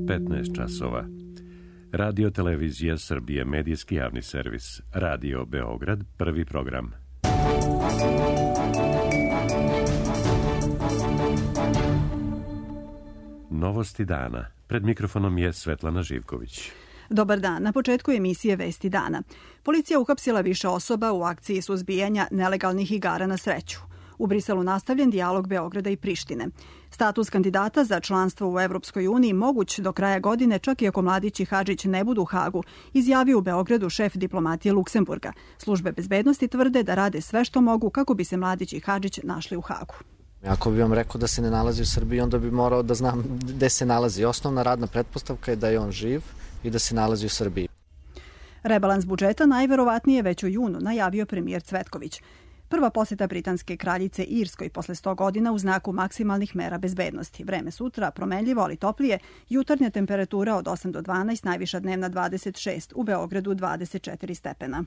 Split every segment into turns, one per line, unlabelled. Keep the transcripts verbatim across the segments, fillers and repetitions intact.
petnaest časova. Radio Televizija Srbije, medijski javni servis. Radio Beograd, prvi program. Novosti dana. Pred mikrofonom je Svetlana Živković.
Dobar dan. Na početku emisije Vesti dana. Policija uhapsila više osoba u akciji suzbijanja nelegalnih igara na sreću. U Briselu nastavljen dijalog Beograda i Prištine. Status kandidata za članstvo u Evropskoj uniji moguć do kraja godine, čak i ako Mladić i Hadžić ne budu u Hagu, izjavio u Beogradu šef diplomatije Luksemburga. Službe bezbednosti tvrde da rade sve što mogu kako bi se Mladić i Hadžić našli u Hagu.
Ako bi vam rekao da se ne nalazi u Srbiji, onda bi morao da znam gde se nalazi. Osnovna radna pretpostavka je da je on živ i da se nalazi u Srbiji.
Rebalans budžeta najverovatnije već u junu najavio premijer Cvetković. Prva poseta britanske kraljice Irskoj posle sto godina u znaku maksimalnih mera bezbednosti. Vreme sutra promenljivo, ali toplije. Jutarnja temperatura od osam do dvanaest, najviša dnevna dvadeset šest, u Beogradu dvadeset četiri stepena.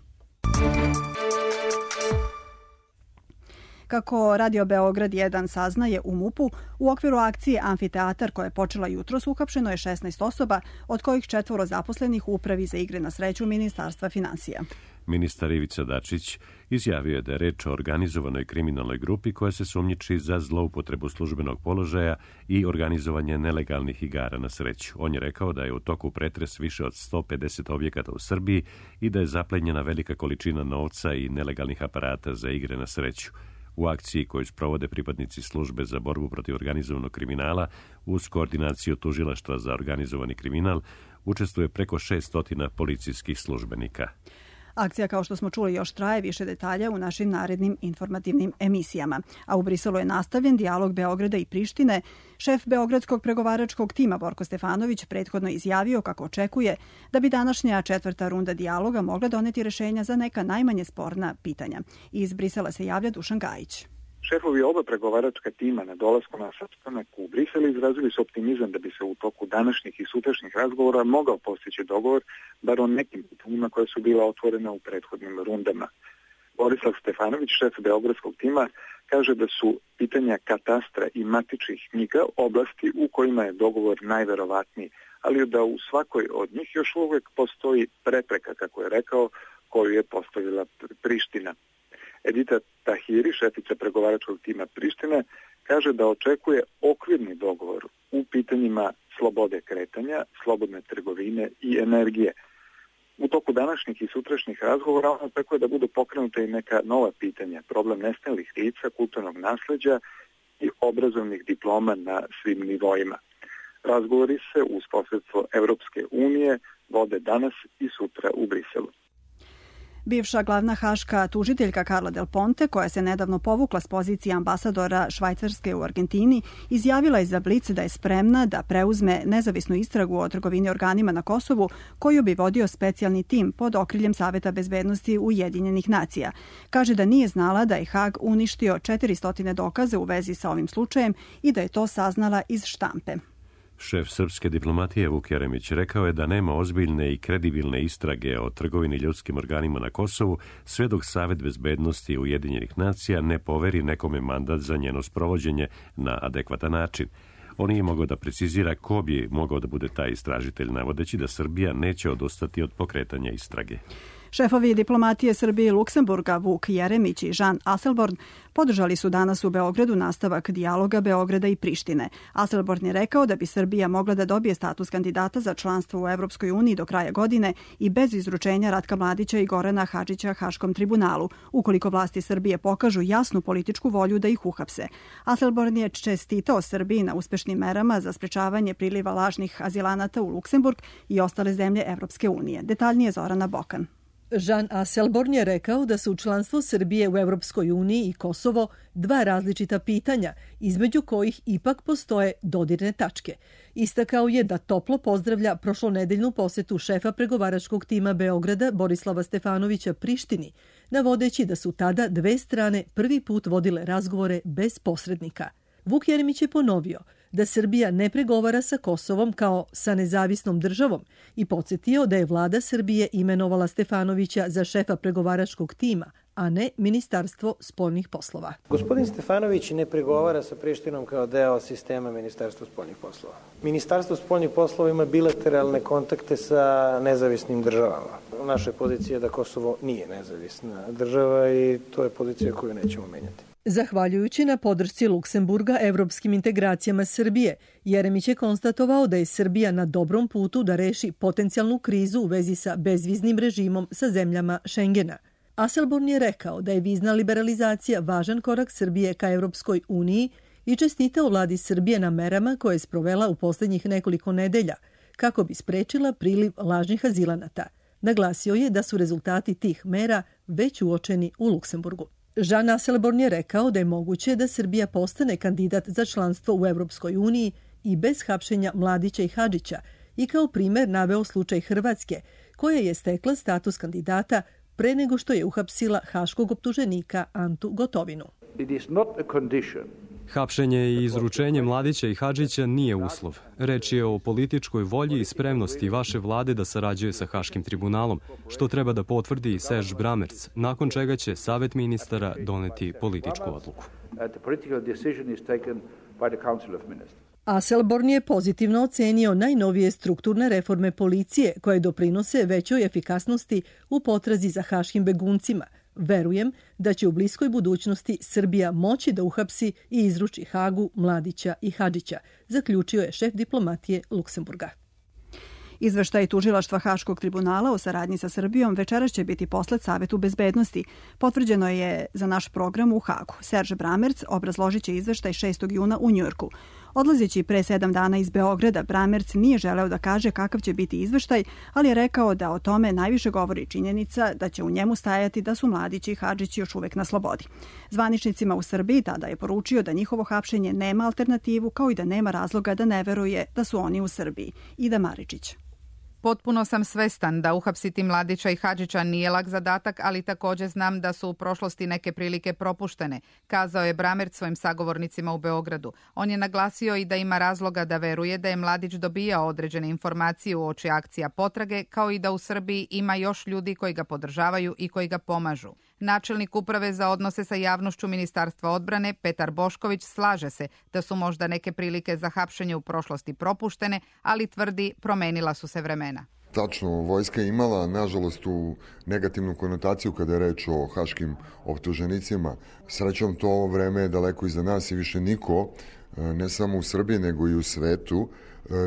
Kako Radio Beograd jedan saznaje, u MUP-u u okviru akcije Amfiteatar koja je počela jutros uhapšeno je šesnaest osoba, od kojih četvoro zaposlenih u Upravi za igre na sreću Ministarstva finansija.
Ministar Ivica Dačić izjavio je da je reč o organizovanoj kriminalnoj grupi koja se sumnjiči za zloupotrebu službenog položaja i organizovanje nelegalnih igara na sreću. On je rekao da je u toku pretres više od sto pedeset objekata u Srbiji i da je zaplenjena velika količina novca i nelegalnih aparata za igre na sreću. U akciji koju sprovode pripadnici službe za borbu protiv organizovanog kriminala uz koordinaciju tužilaštva za organizovani kriminal učestvuje preko šeststotina policijskih službenika.
Akcija, kao što smo čuli, još traje. Više detalja u našim narednim informativnim emisijama. A u Briselu je nastavljen dijalog Beograda i Prištine. Šef beogradskog pregovaračkog tima Borko Stefanović prethodno izjavio kako očekuje da bi današnja četvrta runda dijaloga mogla doneti rešenja za neka najmanje sporna pitanja. Iz Brisela se javlja Dušan Gajić.
Šefovi oba pregovaračka tima na dolasku na sastanak u Briselu izrazili su optimizam da bi se u toku današnjih i sutrašnjih razgovora mogao postići dogovor, bar o nekim pitanjima koja su bila otvorena u prethodnim rundama. Borislav Stefanović, šef beogradskog tima, kaže da su pitanja katastra i matičnih knjiga oblasti u kojima je dogovor najverovatniji, ali da u svakoj od njih još uvek postoji prepreka, kako je rekao, koju je postavila Priština. Edita Tahiri, šefica pregovaračkog tima Prištine, kaže da očekuje okvirni dogovor u pitanjima slobode kretanja, slobodne trgovine i energije. U toku današnjih i sutrašnjih razgovora on očekuje da budu pokrenuta i neka nova pitanja, problem nestalih lica, kulturnog nasleđa i obrazovnih diploma na svim nivoima. Razgovori se uz posredstvo Evropske unije vode danas i sutra u Briselu.
Bivša glavna haška tužiteljka Carla Del Ponte, koja se nedavno povukla s pozicije ambasadora Švajcarske u Argentini, izjavila je za Blic da je spremna da preuzme nezavisnu istragu o trgovini organima na Kosovu, koju bi vodio specijalni tim pod okriljem Saveta bezbednosti Ujedinjenih nacija. Kaže da nije znala da je Hag uništio četiristo dokaza u vezi sa ovim slučajem i da je to saznala iz štampe.
Šef srpske diplomatije Vuk Jeremić rekao je da nema ozbiljne i kredibilne istrage o trgovini ljudskim organima na Kosovu sve dok Savet bezbednosti Ujedinjenih nacija ne poveri nekome mandat za njeno sprovođenje na adekvatan način. On nije mogao da precizira ko bi mogao da bude taj istražitelj, navodeći da Srbija neće odustati od pokretanja istrage.
Šefovi diplomatije Srbije i Luksemburga Vuk Jeremić i Jean Asselborn podržali su danas u Beogradu nastavak dijaloga Beograda i Prištine. Asselborn je rekao da bi Srbija mogla da dobije status kandidata za članstvo u Evropskoj uniji do kraja godine i bez izručenja Ratka Mladića i Gorana Hadžića Haškom tribunalu, ukoliko vlasti Srbije pokažu jasnu političku volju da ih uhapse. Asselborn je čestitao Srbiji na uspešnim merama za sprečavanje priliva lažnih azilanata u Luksemburg i ostale zemlje Evropske unije. Detaljnije Zorana Bokan.
Jean Asselborn je rekao da su članstvo Srbije u Evropskoj uniji i Kosovo dva različita pitanja, između kojih ipak postoje dodirne tačke. Istakao je da toplo pozdravlja prošlonedeljnu posetu šefa pregovaračkog tima Beograda Borislava Stefanovića Prištini, navodeći da su tada dve strane prvi put vodile razgovore bez posrednika. Vuk Jeremić je ponovio da Srbija ne pregovara sa Kosovom kao sa nezavisnom državom i podsjetio da je vlada Srbije imenovala Stefanovića za šefa pregovaračkog tima, a ne Ministarstvo spoljnih poslova.
Gospodin Stefanović ne pregovara sa Prištinom kao deo sistema Ministarstva spoljnih poslova. Ministarstvo spoljnih poslova ima bilateralne kontakte sa nezavisnim državama. Naša pozicija je da Kosovo nije nezavisna država i to je pozicija koju nećemo menjati.
Zahvaljujući na podršci Luksemburga evropskim integracijama Srbije, Jeremić je konstatovao da je Srbija na dobrom putu da reši potencijalnu krizu u vezi sa bezviznim režimom sa zemljama Šengena. Asselborn je rekao da je vizna liberalizacija važan korak Srbije ka Evropskoj uniji i čestitao vladi Srbije na merama koje je sprovela u poslednjih nekoliko nedelja kako bi sprečila priliv lažnih azilanata. Naglasio je da su rezultati tih mera već uočeni u Luksemburgu. Jean Asselborn je rekao da je moguće da Srbija postane kandidat za članstvo u Evropskoj uniji i bez hapšenja Mladića i Hadžića i kao primer naveo slučaj Hrvatske, koja je stekla status kandidata pre nego što je uhapsila haškog optuženika Antu Gotovinu.
It is not a condition.
Hapšenje i izručenje Mladića i Hadžića nije uslov. Reč je o političkoj volji i spremnosti vaše vlade da sarađuje sa Haškim tribunalom, što treba da potvrdi i Serge Bramertz, nakon čega će Savet ministara doneti političku odluku.
Asselborn je pozitivno ocenio najnovije strukturne reforme policije koje doprinose većoj efikasnosti u potrazi za haškim beguncima. Verujem da će u bliskoj budućnosti Srbija moći da uhapsi i izruči Hagu, Mladića i Hadžića, zaključio je šef diplomatije Luksemburga.
Izveštaj tužilaštva Haškog tribunala o saradnji sa Srbijom večeras će biti poslat Savetu bezbednosti. Potvrđeno je za naš program u Hagu. Serge Bramertz obrazložit će izveštaj šestog juna u Njujorku. Odlazeći pre sedam dana iz Beograda, Bramertz nije želeo da kaže kakav će biti izveštaj, ali je rekao da o tome najviše govori činjenica da će u njemu stajati da su Mladić i Hadžić još uvek na slobodi. Zvaničnicima u Srbiji tada je poručio da njihovo hapšenje nema alternativu, kao i da nema razloga da ne veruje da su oni u Srbiji. Ida Maričić.
Potpuno sam svestan da uhapsiti Mladića i Hadžića nije lak zadatak, ali također znam da su u prošlosti neke prilike propuštene, kazao je Bramertz svojim sagovornicima u Beogradu. On je naglasio i da ima razloga da veruje da je Mladić dobijao određene informacije uoči akcija potrage, kao i da u Srbiji ima još ljudi koji ga podržavaju i koji ga pomažu. Načelnik uprave za odnose sa javnošću Ministarstva odbrane Petar Bošković slaže se da su možda neke prilike za hapšenje u prošlosti propuštene, ali tvrdi promenila su se vremena.
Tačno, vojska je imala, nažalost, tu negativnu konotaciju kada je reč o haškim optuženicima. Srećom, to vreme je daleko iza nas i više niko, ne samo u Srbiji, nego i u svetu,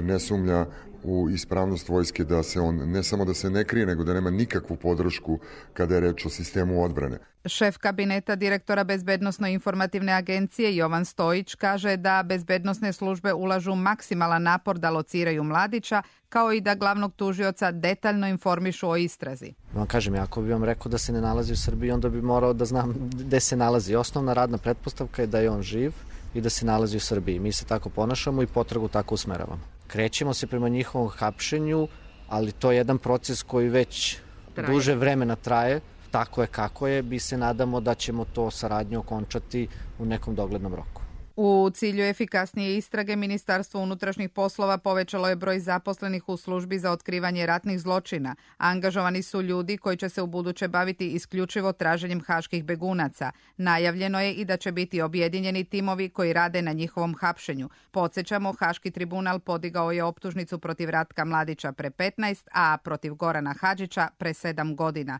ne sumnja u ispravnost vojske, da se on ne samo da se ne krije, nego da nema nikakvu podršku kada je reč o sistemu odbrane.
Šef kabineta direktora Bezbednosno-informativne agencije Jovan Stojić kaže da bezbednosne službe ulažu maksimalan napor da lociraju Mladića, kao i da glavnog tužioca detaljno informišu o istrazi.
Vam kažem, ako bi vam rekao da se ne nalazi u Srbiji, onda bi morao da znam gde se nalazi. Osnovna radna pretpostavka je da je on živ i da se nalazi u Srbiji. Mi se tako ponašamo i potragu tako usmeravamo. Krećemo se prema njihovom hapšenju, ali to je jedan proces koji već traje. Duže vremena traje, tako je kako je, mi se nadamo da ćemo to saradnju okončati u nekom doglednom roku.
U cilju efikasnije istrage, Ministarstvo unutrašnjih poslova povećalo je broj zaposlenih u službi za otkrivanje ratnih zločina. Angažovani su ljudi koji će se ubuduće baviti isključivo traženjem haških begunaca. Najavljeno je i da će biti objedinjeni timovi koji rade na njihovom hapšenju. Podsjećamo, Haški tribunal podigao je optužnicu protiv Ratka Mladića pre petnaest, a protiv Gorana Hadžića pre sedam godina.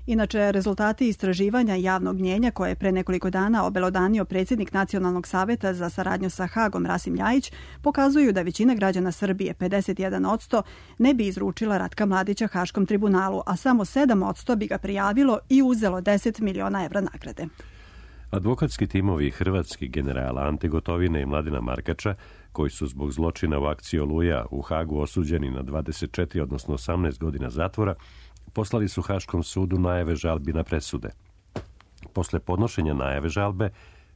Inače, rezultati istraživanja javnog mnjenja koje je pre nekoliko dana obelodanio predsjednik Nacionalnog saveta za saradnju sa Hagom Rasim Ljajić pokazuju da većina građana Srbije, pedeset jedan posto, ne bi izručila Ratka Mladića Haškom tribunalu, a samo sedam posto bi ga prijavilo i uzelo deset miliona evra nagrade.
Advokatski timovi hrvatskih generala Ante Gotovine i Mladina Markača, koji su zbog zločina u akciji Oluja u Hagu osuđeni na dvadeset četiri, odnosno osamnaest godina zatvora, poslali su Haškom sudu najave žalbi na presude. Posle podnošenja najave žalbe,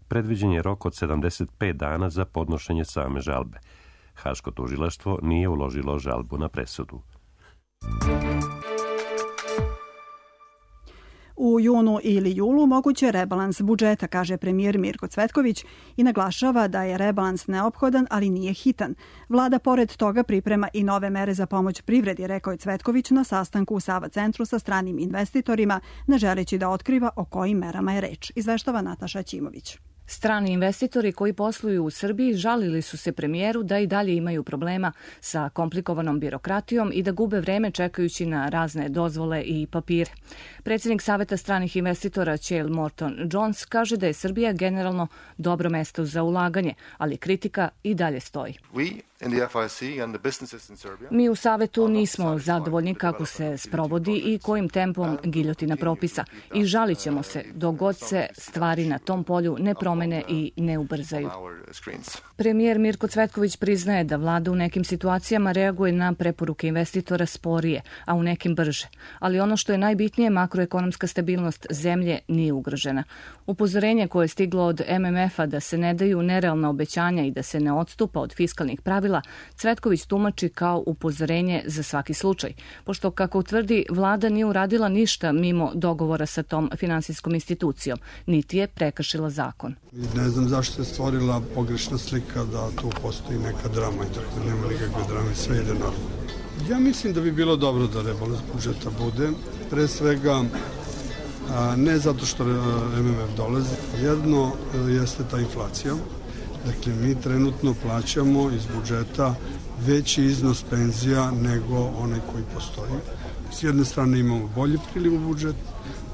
predviđen je rok od sedamdeset pet dana za podnošenje same žalbe. Haško tužilaštvo nije uložilo žalbu na presudu.
U junu ili julu moguće je rebalans budžeta, kaže premijer Mirko Cvetković i naglašava da je rebalans neophodan, ali nije hitan. Vlada pored toga priprema i nove mere za pomoć privredi, rekao je Cvetković na sastanku u Sava centru sa stranim investitorima, ne želeći da otkriva o kojim merama je reč. Izveštava Nataša Ćimović.
Strani investitori koji posluju u Srbiji žalili su se premijeru da i dalje imaju problema sa komplikovanom birokratijom i da gube vreme čekajući na razne dozvole i papire. Predsjednik Saveta stranih investitora Chael Morton Jones kaže da je Srbija generalno dobro mesto za ulaganje, ali kritika i dalje stoji. Mi u Savetu nismo zadovoljni kako se sprovodi i kojim tempom giljotina propisa i žalit ćemo se dok god se stvari na tom polju ne promene i ne ubrzaju. Premijer Mirko Cvetković priznaje da vlada u nekim situacijama reaguje na preporuke investitora sporije, a u nekim brže. Ali ono što je najbitnije, makroekonomska stabilnost zemlje nije ugrožena. Upozorenje koje je stiglo od M M F-a da se ne daju nerealna obećanja i da se ne odstupa od fiskalnih pravila, Cvetković tumači kao upozorenje za svaki slučaj, pošto, kako utvrdi, vlada nije uradila ništa mimo dogovora sa tom finansijskom institucijom, niti je prekršila zakon.
Ne znam zašto se stvorila pogrešna slika da tu postoji neka drama i tako da nema nikakve drame, sve ide normalno. Ja mislim da bi bilo dobro da rebalans budžeta bude, pre svega ne zato što M M F dolazi, jedno jeste ta inflacija. Dakle, mi trenutno plaćamo iz budžeta veći iznos penzija nego onaj koji postoji. S jedne strane imamo bolji priliv u budžet,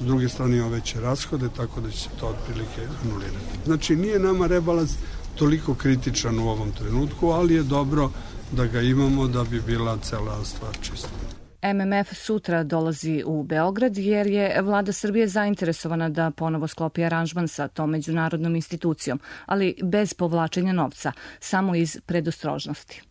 s druge strane imamo veće rashode, tako da će se to otprilike anulirati. Znači, nije nama rebalans toliko kritičan u ovom trenutku, ali je dobro da ga imamo da bi bila cela stvar čista.
M M F sutra dolazi u Beograd jer je vlada Srbije zainteresovana da ponovo sklopi aranžman sa tom međunarodnom institucijom, ali bez povlačenja novca, samo iz predostrožnosti.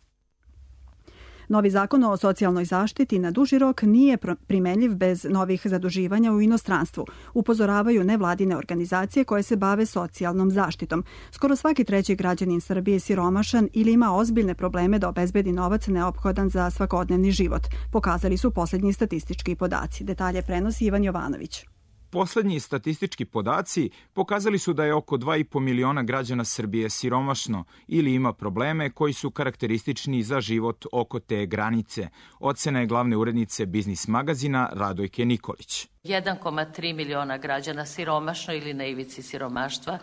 Novi zakon o socijalnoj zaštiti na duži rok nije primenljiv bez novih zaduživanja u inostranstvu, upozoravaju nevladine organizacije koje se bave socijalnom zaštitom. Skoro svaki treći građanin Srbije je siromašan ili ima ozbiljne probleme da obezbedi novac neophodan za svakodnevni život, pokazali su posljednji statistički podaci. Detalje prenosi Ivan Jovanović.
Poslednji statistički podaci pokazali su da je oko dva i po miliona građana Srbije siromašno ili ima probleme koji su karakteristični za život oko te granice. Ocena je glavne urednice Biznis magazina Radojke Nikolić.
jedan zarez tri miliona građana siromašno ili na ivici siromaštva,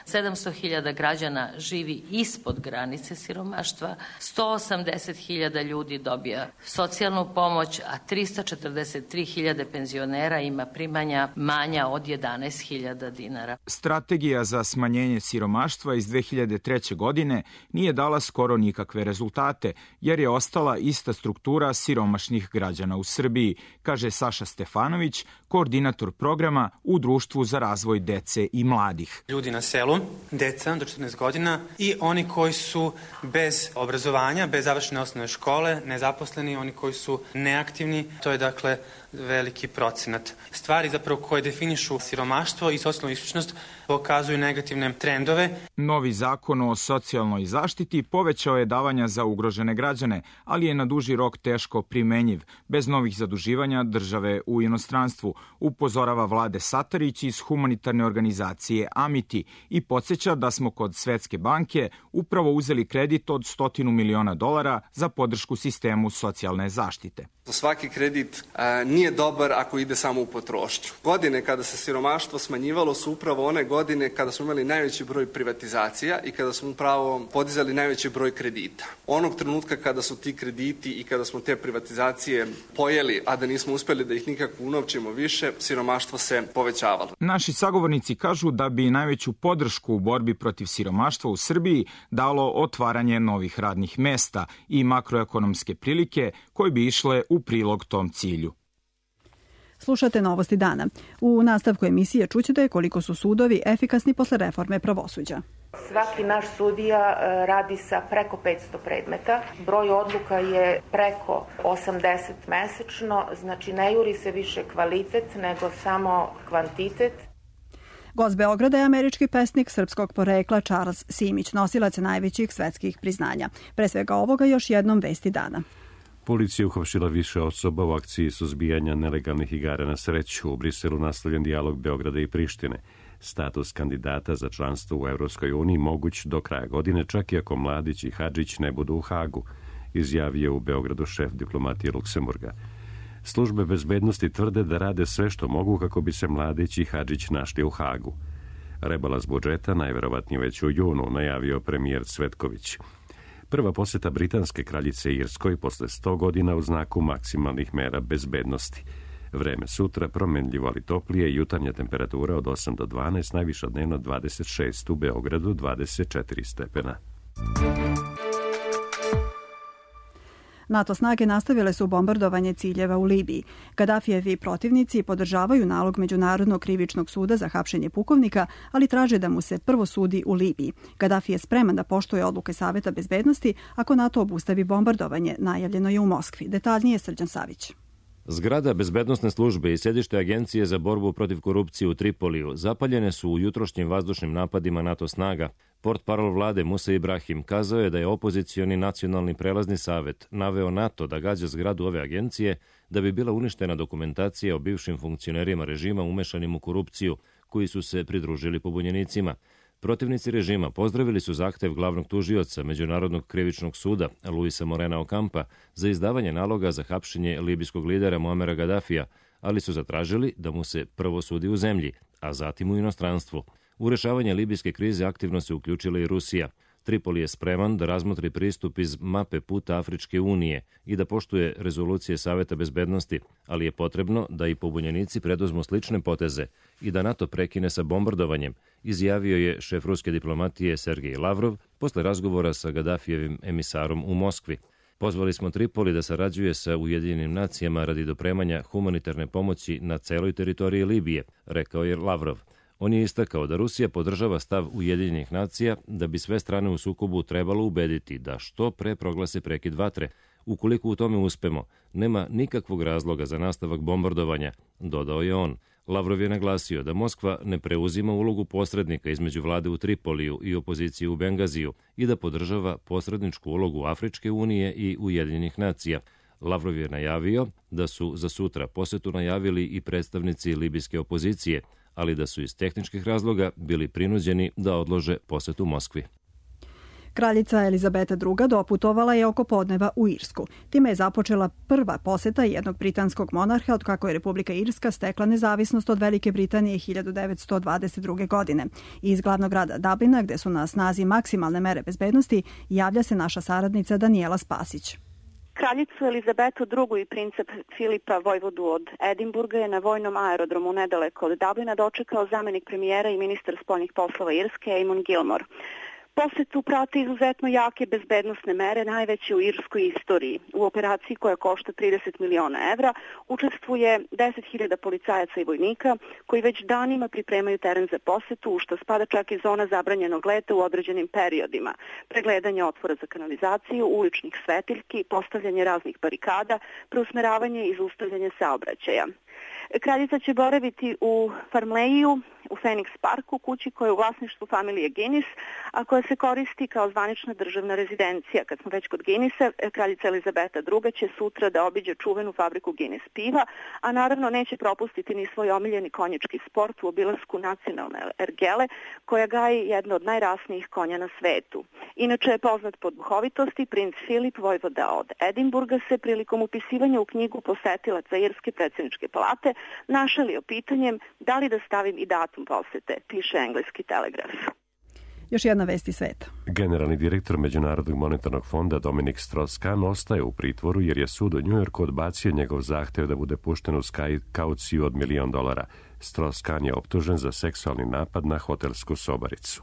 sedamsto hiljada građana živi ispod granice siromaštva, sto osamdeset hiljada ljudi dobija socijalnu pomoć, a trista četrdeset tri hiljade penzionera ima primanja manja od jedanaest hiljada dinara.
Strategija za smanjenje siromaštva iz dve hiljade treće. godine nije dala skoro nikakve rezultate, jer je ostala ista struktura siromašnih građana u Srbiji, kaže Saša Stefanović, koordinator programa u Društvu za razvoj dece i mladih.
Ljudi na selu, deca do četrnaest godina i oni koji su bez obrazovanja, bez završene osnovne škole, nezaposleni, oni koji su neaktivni, to je dakle veliki procenat. Stvari zapravo koje definišu siromaštvo i socijalnu isključenost pokazuju negativne trendove.
Novi zakon o socijalnoj zaštiti povećao je davanja za ugrožene građane, ali je na duži rok teško primenjiv, bez novih zaduživanja države u inostranstvu, upozorava Vlade Satarić iz humanitarne organizacije Amiti i podsjeća da smo kod Svetske banke upravo uzeli kredit od stotinu miliona dolara za podršku sistemu socijalne zaštite.
Svaki kredit a, nije dobar ako ide samo u potrošnju. Godine kada se siromaštvo smanjivalo su upravo one godine kada smo imali najveći broj privatizacija i kada smo upravo podizali najveći broj kredita. Onog trenutka kada su ti krediti i kada smo te privatizacije pojeli, a da nismo uspeli da ih nikako unovčimo više, siromaštvo se povećavalo.
Naši sagovornici kažu da bi najveću podršku u borbi protiv siromaštva u Srbiji dalo otvaranje novih radnih mesta i makroekonomske prilike koje bi išle u prilog tom cilju.
Slušate Novosti dana. U nastavku emisije čućete koliko su sudovi efikasni posle reforme pravosuđa.
Svaki naš sudija radi sa preko petsto predmeta. Broj odluka je preko osamdeset mesečno, znači ne juri se više kvalitet nego samo kvantitet.
Gost Beograda je američki pesnik srpskog porekla Charles Simić, nosilac najvećih svetskih priznanja. Pre svega ovoga još jednom vesti dana.
Policija uhapsila više osoba u akciji suzbijanja nelegalnih igara na sreću. U Briselu nastavljen dijalog Beograda i Prištine. Status kandidata za članstvo u Evropskoj uniji moguć do kraja godine, čak i ako Mladić i Hadžić ne budu u Hagu, izjavio u Beogradu šef diplomatije Luksemburga. Službe bezbednosti tvrde da rade sve što mogu kako bi se Mladić i Hadžić našli u Hagu. Rebalans budžeta najverovatnije već u junu, najavio premijer Cvetković. Prva poseta britanske kraljice Irskoj posle sto godina u znaku maksimalnih mera bezbednosti. Vreme sutra promenljivo, ali toplije, jutarnja temperatura od osam do dvanaest, najviša dnevno dvadeset šest, u Beogradu dvadeset četiri stepena.
NATO snage nastavile su bombardovanje ciljeva u Libiji. Gadafijevi protivnici podržavaju nalog Međunarodnog krivičnog suda za hapšenje pukovnika, ali traže da mu se prvo sudi u Libiji. Gadafi je spreman da poštuje odluke Saveta bezbednosti ako NATO obustavi bombardovanje, najavljeno je u Moskvi. Detaljnije Srđan Savić.
Zgrada bezbednosne službe i sedište Agencije za borbu protiv korupcije u Tripoliju zapaljene su u jutrošnjim vazdušnim napadima NATO snaga. Portparol vlade Musa Ibrahim kazao je da je opozicioni nacionalni prelazni savet naveo NATO da gađa zgradu ove agencije da bi bila uništena dokumentacija o bivšim funkcionerima režima umešanim u korupciju koji su se pridružili pobunjenicima. Protivnici režima pozdravili su zahtev glavnog tužioca Međunarodnog krivičnog suda Luisa Morena Okampa za izdavanje naloga za hapšenje libijskog lidera Muamera Gadafija, ali su zatražili da mu se prvo sudi u zemlji, a zatim u inostranstvu. U rešavanje libijske krize aktivno se uključila i Rusija. Tripoli je spreman da razmotri pristup iz mape puta Afričke unije i da poštuje rezolucije Saveta bezbednosti, ali je potrebno da i pobunjenici preduzmu slične poteze i da NATO prekine sa bombardovanjem, izjavio je šef ruske diplomatije Sergej Lavrov posle razgovora sa Gadafijevim emisarom u Moskvi. Pozvali smo Tripoli da sarađuje sa Ujedinjenim nacijama radi dopremanja humanitarne pomoći na celoj teritoriji Libije, rekao je Lavrov. On je istakao da Rusija podržava stav Ujedinjenih nacija da bi sve strane u sukobu trebalo ubediti da što pre proglase prekid vatre. Ukoliko u tome uspemo, nema nikakvog razloga za nastavak bombardovanja, dodao je on. Lavrov je naglasio da Moskva ne preuzima ulogu posrednika između vlade u Tripoliju i opozicije u Bengaziju i da podržava posredničku ulogu Afričke unije i Ujedinjenih nacija. Lavrov je najavio da su za sutra posetu najavili i predstavnici libijske opozicije, ali da su iz tehničkih razloga bili prinuđeni da odlože posetu Moskvi.
Kraljica Elizabeta druga doputovala je oko podneva u Irsku. Time je započela prva poseta jednog britanskog monarha od kako je Republika Irska stekla nezavisnost od Velike Britanije hiljadu devetsto dvadeset druge. godine. Iz glavnog grada Dublina, gde su na snazi maksimalne mere bezbednosti, javlja se naša saradnica Danijela Spasić.
Kraljicu Elizabetu drugu i princa Filipa vojvodu od Edinburga je na vojnom aerodromu nedaleko od Dublina dočekao zamenik premijera i ministar spoljnih poslova Irske Eamon Gilmore. Posetu prate izuzetno jake bezbednosne mere, najveće u irskoj istoriji. U operaciji koja košta trideset miliona evra učestvuje deset hiljada policajaca i vojnika koji već danima pripremaju teren za posetu, u što spada čak i zona zabranjenog leta u određenim periodima, pregledanje otvora za kanalizaciju, uličnih svetiljki, postavljanje raznih barikada, preusmeravanje i zaustavljanje saobraćaja. Kraljica će boraviti u Farmleiju, u Phoenix Parku, kući koja je u vlasništvu familije Guinness, a koja se koristi kao zvanična državna rezidencija. Kad smo već kod Guinnessa, kraljica Elizabeta druga će sutra da obiđe čuvenu fabriku Guinness piva, a naravno neće propustiti ni svoj omiljeni konjički sport u obilasku nacionalne ergele, koja gaji jedno od najrasnijih konja na svetu. Inače je poznat po duhovitosti, princ Filip, vojvoda od Edinburga, se prilikom upisivanja u knjigu posetilaca Irske predsjedničke palate našalio pitanjem da li da stavim i datum posete, piše engleski Telegraf.
Još jedna vest iz sveta.
Generalni direktor Međunarodnog monetarnog fonda Dominik Strauss-Kahn ostaje u pritvoru jer je sud u Njujorku odbacio njegov zahtev da bude pušten uz kauciju od milion dolara. Strauss-Kahn je optužen za seksualni napad na hotelsku sobaricu.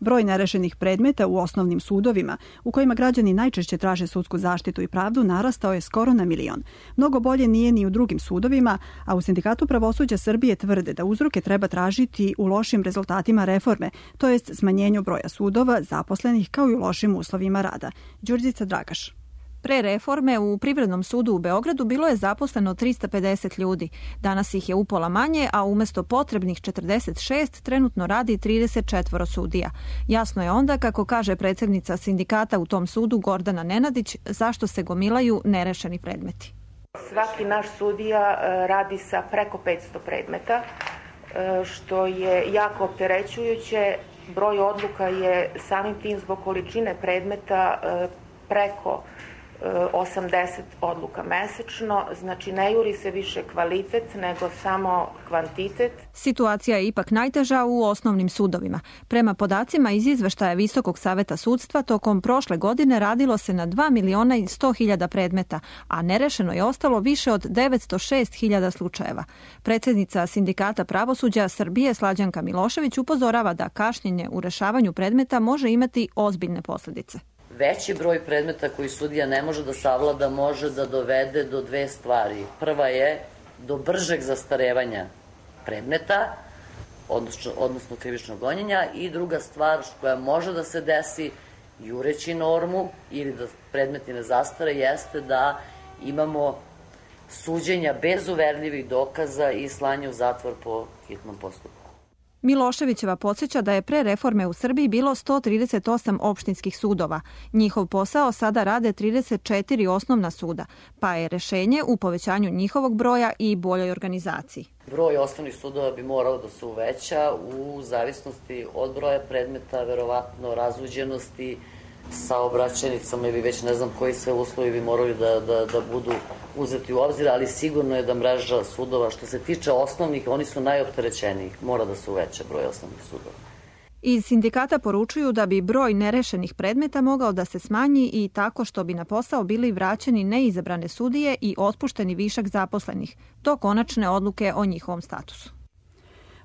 Broj nerešenih predmeta u osnovnim sudovima, u kojima građani najčešće traže sudsku zaštitu i pravdu, narastao je skoro na milion. Mnogo bolje nije ni u drugim sudovima, a u Sindikatu pravosuđa Srbije tvrde da uzroke treba tražiti u lošim rezultatima reforme, to jest smanjenju broja sudova, zaposlenih, kao i u lošim uslovima rada. Đurđica Dragaš.
Pre reforme u Privrednom sudu u Beogradu bilo je zaposleno trista pedeset ljudi. Danas ih je upola manje, a umesto potrebnih četrdeset šest trenutno radi trideset četiri sudija. Jasno je onda, kako kaže predsednica sindikata u tom sudu Gordana Nenadić, zašto se gomilaju nerešeni predmeti.
Svaki naš sudija radi sa preko petsto predmeta, što je jako opterećujuće. Broj odluka je samim tim zbog količine predmeta preko osamdeset odluka mesečno, znači ne juri se više kvalitet nego samo kvantitet.
Situacija je ipak najteža u osnovnim sudovima. Prema podacima iz izveštaja Visokog saveta sudstva, tokom prošle godine radilo se na dva miliona i sto hiljada predmeta, a nerešeno je ostalo više od devetsto šest hiljada slučajeva. Predsednica Sindikata pravosuđa Srbije Slađanka Milošević upozorava da kašnjenje u rešavanju predmeta može imati ozbiljne posledice.
Veći broj predmeta koji sudija ne može da savlada može da dovede do dve stvari. Prva je do bržeg zastarevanja predmeta, odnosno, odnosno krivičnog gonjenja, i druga stvar koja može da se desi jureći normu ili da predmeti ne zastare jeste da imamo suđenja bez uverljivih dokaza i slanje u zatvor po hitnom postupku.
Miloševićeva podsjeća da je pre reforme u Srbiji bilo sto trideset osam opštinskih sudova. Njihov posao sada rade trideset četiri osnovna suda, pa je rešenje u povećanju njihovog broja i boljoj organizaciji.
Broj osnovnih sudova bi morao da se uveća u zavisnosti od broja predmeta, verovatno razuđenosti, saobraćajnicama ili već ne znam koji sve uslovi bi morali da, da, da budu uzeti u obzir, ali sigurno je da mreža sudova, što se tiče osnovnih, oni su najopterećenijih, mora da se uveća broj osnovnih sudova.
Iz sindikata poručuju da bi broj nerešenih predmeta mogao da se smanji i tako što bi na posao bili vraćeni neizabrane sudije i otpušteni višak zaposlenih, do konačne odluke o njihovom statusu.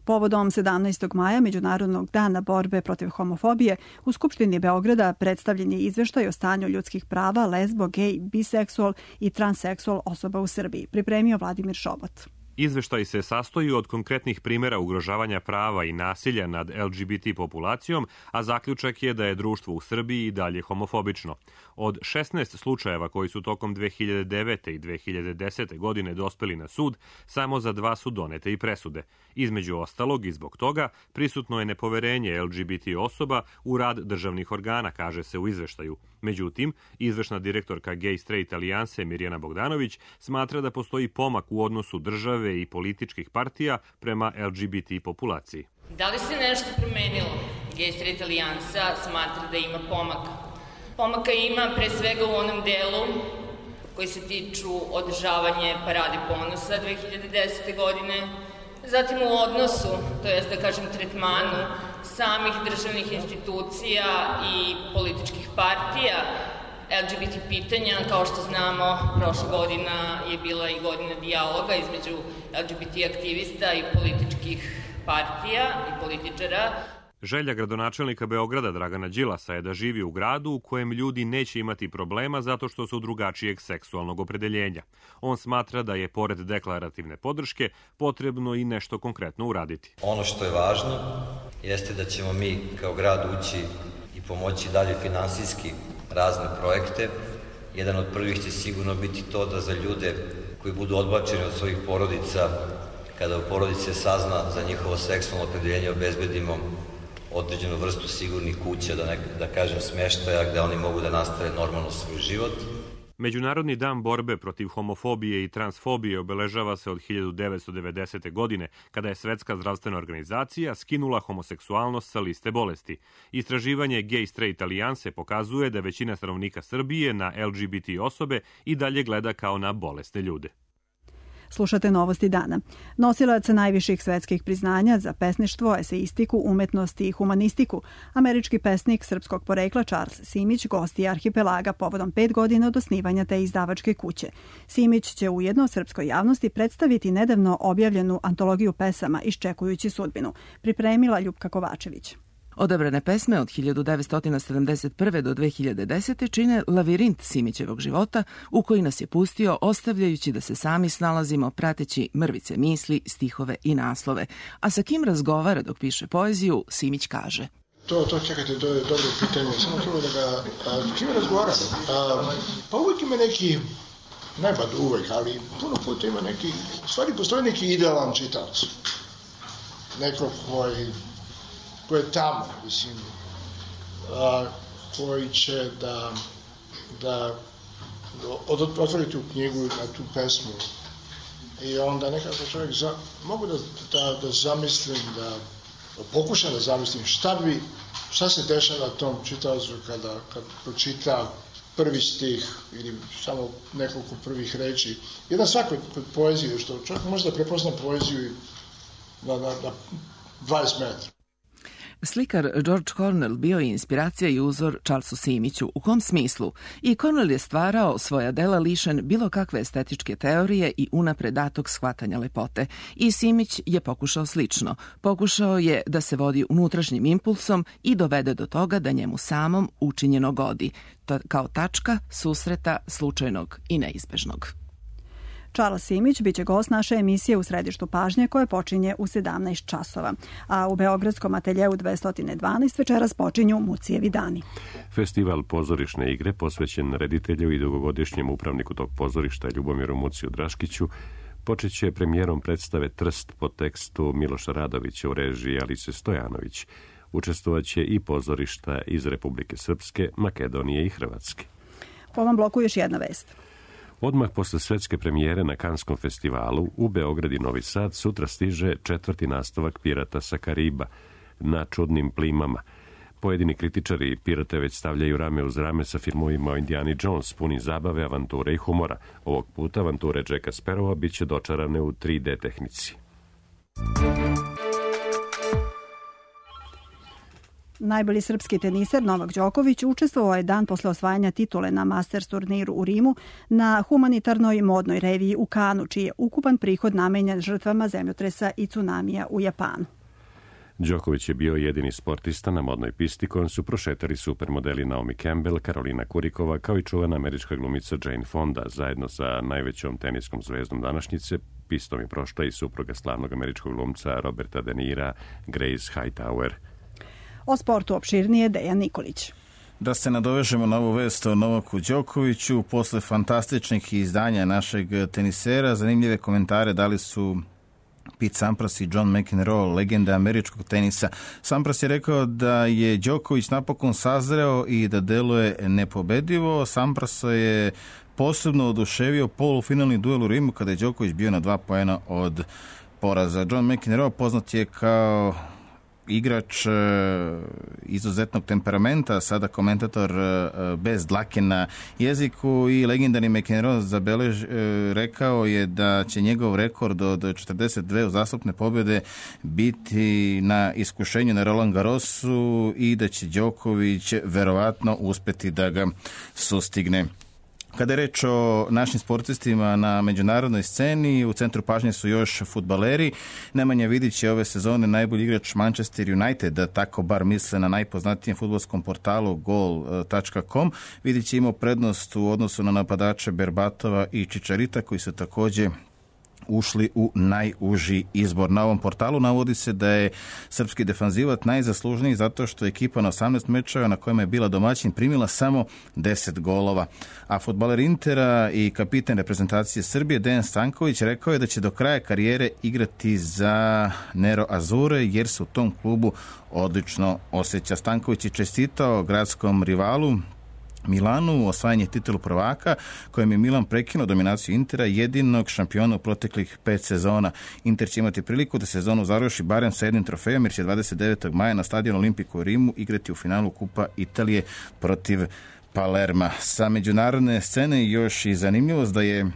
Povodom sedamnaestog maja, Međunarodnog dana borbe protiv homofobije, u Skupštini Beograda predstavljen je izveštaj o stanju ljudskih prava lesbo, gej, biseksual i transseksual osoba u Srbiji, pripremio Vladimir Šobot.
Izveštaj se sastoji od konkretnih primjera ugrožavanja prava i nasilja nad el ge be te populacijom, a zaključak je da je društvo u Srbiji i dalje homofobično. Od šesnaest slučajeva koji su tokom dve hiljade devete i dve hiljade desete. godine dospeli na sud, samo za dva su donete i presude. Između ostalog i zbog toga prisutno je nepoverenje el ge be te osoba u rad državnih organa, kaže se u izveštaju. Međutim, izvršna direktorka Gay Straight Alijanse Mirjana Bogdanović smatra da postoji pomak u odnosu države i političkih partija prema el ge be te populaciji.
Da li se nešto promenilo? Gay Straight Alijansa smatra da ima pomaka. Pomaka ima pre svega u onom delu koji se tiču održavanje Parade ponosa dve hiljade desete. godine, zatim u odnosu, to jest da kažem tretmanu samih državnih institucija i političkih partija el ge be te pitanja. Kao što znamo, prošla godina je bila i godina dijaloga između el ge be te aktivista i političkih partija i političara.
Želja gradonačelnika Beograda Dragana Đilasa je da živi u gradu u kojem ljudi neće imati problema zato što su drugačijeg seksualnog opredeljenja. On smatra da je, pored deklarativne podrške, potrebno i nešto konkretno uraditi.
Ono što je važno jeste da ćemo mi kao grad ući i pomoći dalje finansijski razne projekte. Jedan od prvih će sigurno biti to da za ljude koji budu odbačeni od svojih porodica, kada u porodice sazna za njihovo seksualno opredeljenje, obezbedimo određenu vrstu sigurnih kuća, da, ne, da kažem smještaja, gde oni mogu da nastave normalno svoj život.
Međunarodni dan borbe protiv homofobije i transfobije obeležava se od hiljadu devetsto devedesete. godine, kada je Svetska zdravstvena organizacija skinula homoseksualnost sa liste bolesti. Istraživanje Gay Straight Alijanse pokazuje da većina stanovnika Srbije na el ge be te osobe i dalje gleda kao na bolesne ljude.
Slušate Novosti dana. Nosilac najviših svetskih priznanja za pesništvo, eseistiku, umetnost i humanistiku, američki pesnik srpskog porekla Charles Simić gost je Arhipelaga povodom pet godina od osnivanja te izdavačke kuće. Simić će ujedno srpskoj javnosti predstaviti nedavno objavljenu antologiju pesama Iščekujući sudbinu, pripremila Ljupka Kovačević.
Odabrane pesme od hiljadu devetsto sedamdeset prve. do dve hiljade desete. čine lavirint Simićevog života u koji nas je pustio ostavljajući da se sami snalazimo prateći mrvice misli, stihove i naslove. A sa kim razgovara dok piše poeziju, Simić kaže:
To, to čekajte, to je dobro pitanje, samo treba da ga, a, kime razgovaram? A, pa uvijek ima neki, ne bad uvijek, ali puno puta ima neki, u stvari postoji neki idealan čitalac. Neko koji, koji je tamo, mislim, a, koji će da, da od, otvori tu knjigu na tu pesmu i onda nekako čovjek, za, mogu da, da, da zamislim, da pokušam da zamislim šta bi, šta se dešava tom čitaocu kada, kad pročita prvi stih ili samo nekoliko prvih reči. Jedan svakoj poezije, što čovjek može da prepozna poeziju na, na, na dvadeset metra.
Slikar George Cornell bio je inspiracija i uzor Charlesu Simiću. U kom smislu? I Cornell je stvarao svoja dela lišen bilo kakve estetičke teorije i unapred datog shvatanja lepote. I Simić je pokušao slično. Pokušao je da se vodi unutrašnjim impulsom i dovede do toga da njemu samom učinjeno godi, kao tačka susreta slučajnog i neizbežnog.
Charles Simić biće gost naše emisije U središtu pažnje koje počinje u sedamnaest časova. A u Beogradskom ateljeu dvesta dvanaest večeras počinju Mucijevi dani.
Festival pozorišne igre posvećen reditelju i dugogodišnjem upravniku tog pozorišta Ljubomiru Muciju Draškiću počeće premijerom predstave Trst po tekstu Miloša Radovića u režiji Alice Stojanović. Učestvovaće i pozorišta iz Republike Srpske, Makedonije i Hrvatske.
U ovom bloku još jedna vest.
Odmah posle svetske premijere na Kanskom festivalu u Beograd i Novi Sad sutra stiže četvrti nastavak Pirata sa Kariba na čudnim plimama. Pojedini kritičari Pirate već stavljaju rame uz rame sa filmovima o Indiani Jones, puni zabave, avanture i humora. Ovog puta avanture Jacka Sparrowa bit će dočarane u tri D tehnici.
Najbolji srpski teniser Novak Đoković učestvovao je dan posle osvajanja titule na Masters turniru u Rimu na humanitarnoj modnoj reviji u Kanu, čiji je ukupan prihod namenjen žrtvama zemljotresa i tsunamija u Japanu.
Đoković je bio jedini sportista na modnoj pisti kojom su prošetali supermodeli Naomi Campbell, Karolina Kurikova, kao i čuvena američka glumica Jane Fonda. Zajedno sa najvećom teniskom zvezdom današnjice pistom je prošla i supruga slavnog američkog glumca Roberta De Nira, Grace Hightower.
O sportu opširnije Dejan Nikolić.
Da se nadovežemo na ovu vest o Novaku Đokoviću, posle fantastičnih izdanja našeg tenisera, zanimljive komentare dali su Pete Sampras i John McEnroe, legenda američkog tenisa. Sampras je rekao da je Đoković napokon sazreo i da deluje nepobedivo. Sampras je posebno oduševio polufinalni duel u Rimu kada je Đoković bio na dva poena od poraza. John McEnroe poznat je kao igrač izuzetnog temperamenta, sada komentator bez dlake na jeziku, i legendarni McEnroe zabelež, rekao je da će njegov rekord od četrdeset dve uzastopne pobjede biti na iskušenju na Roland Garrosu i da će Đoković verovatno uspeti da ga sustigne. Kada je reč o našim sportistima na međunarodnoj sceni, u centru pažnje su još fudbaleri. Nemanja Vidić je ove sezone najbolji igrač Manchester United, tako bar misle na najpoznatijem fudbalskom portalu gol tačka com. Vidić je imao prednost u odnosu na napadače Berbatova i Čičarita, koji su također ušli u najuži izbor. Na ovom portalu navodi se da je srpski defanzivac najzaslužniji zato što je ekipa na osamnaest mečeva na kojima je bila domaćin primila samo deset golova. A fudbaler Intera i kapitan reprezentacije Srbije Dejan Stanković rekao je da će do kraja karijere igrati za Nero Azure jer se u tom klubu odlično osjeća. Stanković je čestitao gradskom rivalu Milanu osvajanje titulu prvaka, kojem je Milan prekinuo dominaciju Intera, jedinog šampiona u proteklih pet sezona. Inter će imati priliku da sezonu završi barem sa jednim trofejom, jer će dvadeset devetog maja na stadionu Olimpiku u Rimu igrati u finalu Kupa Italije protiv Palerma. Sa međunarodne scene još i zanimljivost da je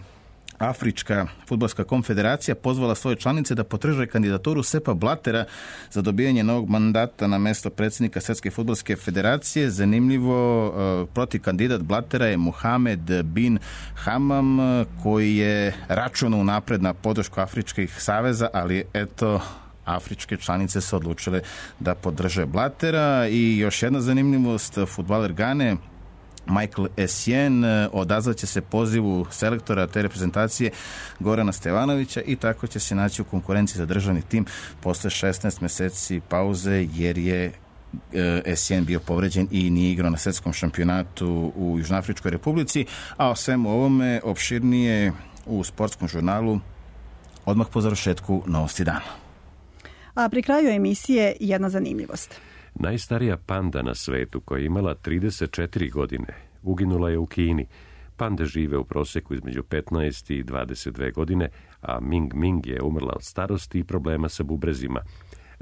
Afrička fudbalska konfederacija pozvala svoje članice da potraže kandidaturu Sepa Blattera za dobijanje novog mandata na mesto predsjednika Svjetske fudbalske federacije. Zanimljivo, protiv kandidat Blattera je Mohamed bin Hamam, koji je računao napred na podršku Afričkih saveza, ali eto, afričke članice su odlučile da podrže Blattera. I još jedna zanimljivost, fudbaler Gane Michael Essien odazvaće se pozivu selektora te reprezentacije Gorana Stevanovića i tako će se naći u konkurenciji za državni tim posle šesnaest meseci pauze, jer je Essien bio povređen i nije igrao na svetskom šampionatu u Južnoafričkoj Republici, a o svemu ovome opširnije u sportskom žurnalu odmah po završetku Novosti dana.
A pri kraju emisije jedna zanimljivost.
Najstarija panda na svetu, koja je imala trideset četiri godine, uginula je u Kini. Pande žive u proseku između petnaest i dvadeset dve godine, a Ming Ming je umrla od starosti i problema sa bubrezima.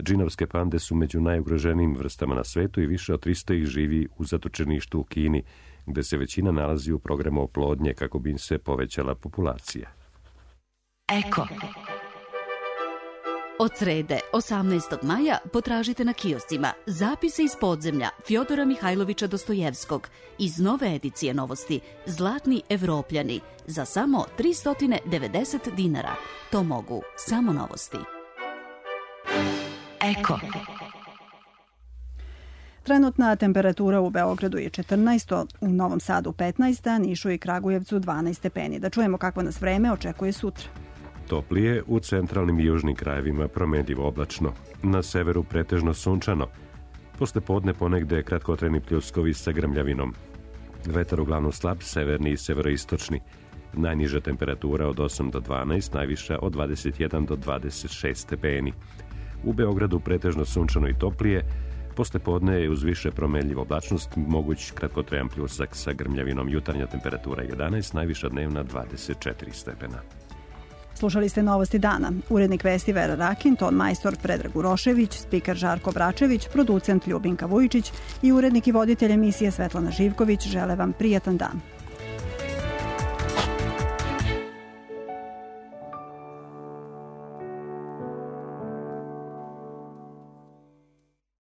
Džinovske pande su među najugroženijim vrstama na svetu i više od tristo ih živi u zatočeništu u Kini, gde se većina nalazi u programu oplodnje kako bi im se povećala populacija.
Eko. Od srede, osamnaestog maja, potražite na kioscima Zapise iz podzemlja Fjodora Mihajlovića Dostojevskog iz nove edicije Novosti Zlatni Evropljani za samo tristo devedeset dinara. To mogu samo Novosti. Eko.
Trenutna temperatura u Beogradu je četrnaest, u Novom Sadu petnaest, a Nišu i Kragujevcu dvanaest stepeni. Da čujemo kakvo nas vreme očekuje sutra.
Toplije, u centralnim i južnim krajevima promenljivo oblačno. Na severu pretežno sunčano. Posle podne ponegde kratkotrajni pljuskovi sa grmljavinom. Vetar uglavnom slab, severni i severoistočni. Najniža temperatura od osam do dvanaest, najviša od dvadeset jedan do dvadeset šest stepeni. U Beogradu pretežno sunčano i toplije. Posle podne je uz više promenljivo oblačnost moguć kratkotrajan pljusak sa grmljavinom. Jutarnja temperatura jedanaest, najviša dnevna dvadeset četiri stepena.
Slušali ste Novosti dana. Urednik vesti Vera Rakin, ton majstor Predrag Urošević, spiker Žarko Bračević, producent Ljubinka Vujičić i urednik i voditelj emisije Svetlana Živković žele vam prijatan dan.